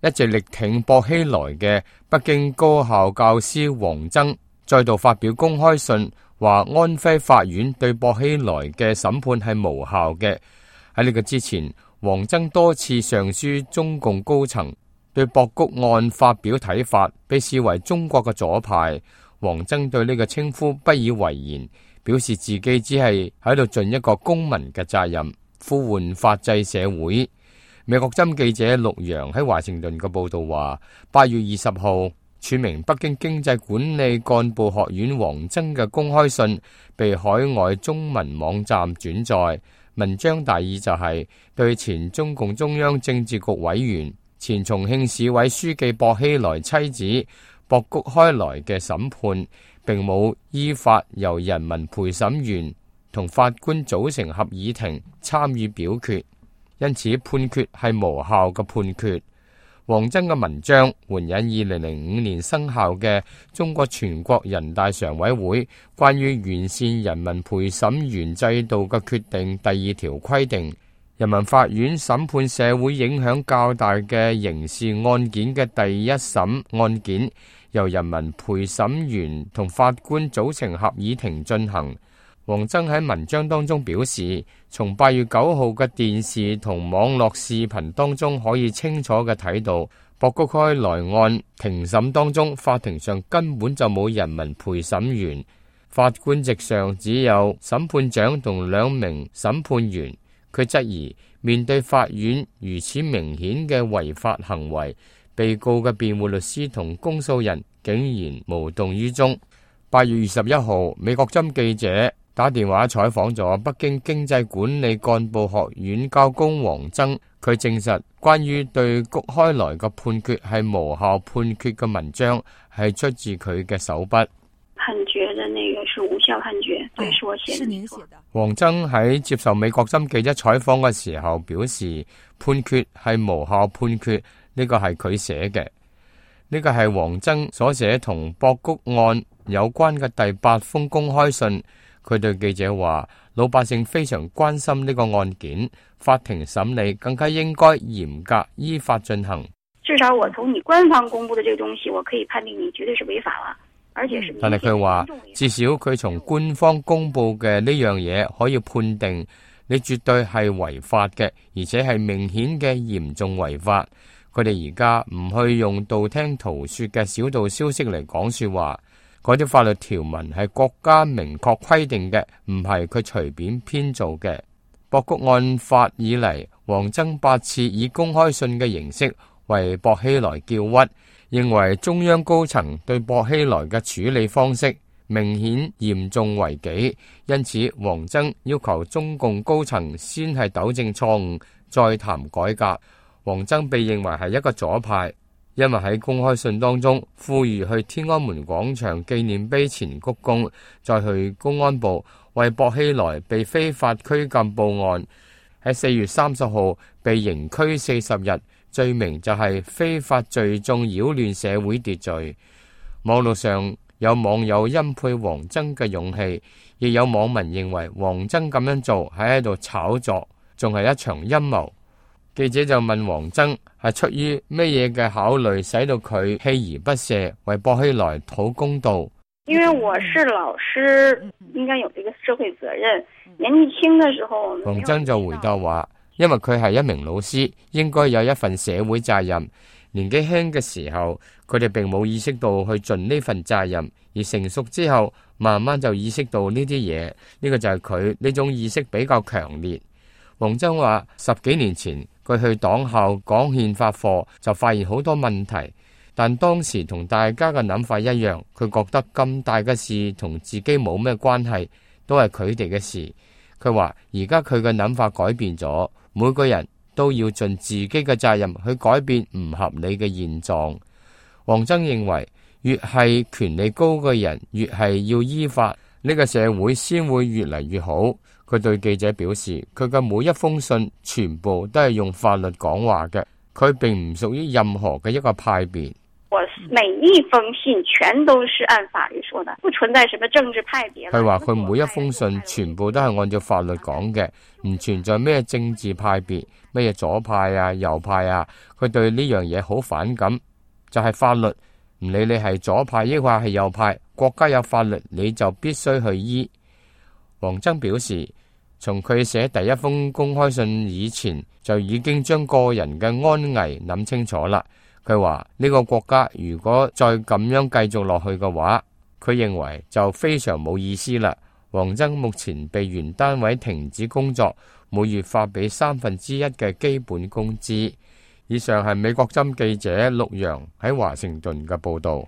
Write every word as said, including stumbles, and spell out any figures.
一直力挺薄熙來嘅北京高校教師王增再度發表公開信，話安徽法院對薄熙來嘅審判係無效嘅。喺呢個之前，王增多次上書中共高層，對博谷案發表睇法，被視為中國嘅左派。王增對呢個稱呼不以為然，表示自己只係喺度盡一個公民嘅責任，呼喚法治社會。美國針記者陸洋喺華盛頓嘅報道話，八月二十號，署名北京經濟管理幹部學院王增嘅公開信被海外中文網站轉載，文章大意就係對前中共中央政治局委員、前重慶市委書記薄熙來妻子薄谷開來嘅審判，並冇依法由人民陪審員同法官組成合議庭參與表決，因此判決係無效嘅判決。王增嘅文章援引二零零五年生效嘅中國全國人大常委會關於完善人民陪審員制度嘅決定第二條規定，人民法院審判社會影響較大嘅刑事案件嘅第一審案件，由人民陪審員同法官組成合議庭進行。王增喺文章當中表示，從八月九號嘅電視同網絡視頻當中可以清楚嘅睇到，薄谷開來案庭審當中，法庭上根本就冇人民陪審員，法官席上只有審判長同兩名審判員。佢質疑面對法院如此明顯嘅違法行為，被告嘅辯護律師同公訴人竟然無動於衷。八月二十一號，美國針記者打電話採訪咗北京經濟管理幹部學院教工王增，佢證實關於對谷開來嘅判決係無效判決嘅文章係出自佢嘅手筆。判決的那個是無效判決，對，是我寫的。是您寫的。王增喺接受美國針記者採訪嘅時候表示，判決係無效判決，呢個係佢寫嘅。呢個係王增所寫同薄谷案有關嘅第八封公開信。佢對記者話，老百姓非常關心呢個案件，法庭審理更加應該嚴格依法進行。至少我從你官方公布的這個東西，我可以判定你絕對是違法了，而且是。但係佢話，至少佢從官方公布嘅呢樣嘢可以判定你絕對係違法嘅，而且係明顯嘅嚴重違法。佢哋而家唔去用道聽途說嘅小道消息嚟講說話。嗰啲法律條文係國家明確規定嘅，唔係佢隨便編造嘅。薄谷案發以嚟，王增八次以公開信嘅形式為薄熙來叫屈，認為中央高層對薄熙來嘅處理方式明顯嚴重違紀，因此王增要求中共高層先係糾正錯誤，再談改革。王增被認為係一個左派。因為喺公開信當中呼籲去天安門廣場紀念碑前鞠躬，再去公安部為薄熙來被非法拘禁報案。喺四月三十號被刑拘四十日，罪名就係非法聚眾擾亂社會秩序。網絡上有網友欽佩王增嘅勇氣，亦有網民認為王增咁樣做係喺度炒作，仲係一場陰謀。記者就問王增係出於咩嘢嘅考慮，使到佢鍥而不捨為薄熙來討公道？因為我是老師，應該有這個社會責任。年紀輕嘅時候，王增就回答話，因為佢係一名老師，應該有一份社會責任。年紀輕嘅時候，佢哋並冇意識到去盡呢份責任，而成熟之後，慢慢就意識到呢啲嘢。呢個就係佢呢種意識比較強烈。王增話，十幾年前佢去黨校講憲法課，就發現好多問題，但當時同大家嘅諗法一樣，佢覺得咁大嘅事同自己冇咩關係，都係佢哋嘅事。佢話而家佢嘅諗法改變咗，每個人都要盡自己嘅責任去改變唔合理嘅現狀。王增認為，越係權力高嘅人，越係要依法，呢個社會先會越嚟越好。佢對記者表示，佢嘅每一封信全部都係用法律講話嘅，佢並唔屬於任何嘅一個派別。我每一封信全都是按法律說的，不存在什麼政治派別。佢話佢每一封信全部都係按照法律講嘅，唔存在咩政治派別，咩左派啊、右派啊。佢對呢樣嘢好反感，就係法律，唔理你係左派抑或係右派，國家有法律你就必須去依。王增表示，從佢寫第一封公開信以前，就已經將個人嘅安危諗清楚啦。佢話呢個國家如果再咁樣繼續落去嘅話，佢認為就非常冇意思啦。王增目前被原單位停止工作，每月發俾三分之一嘅基本工資。以上係美國針記者陸洋喺華盛頓嘅報道。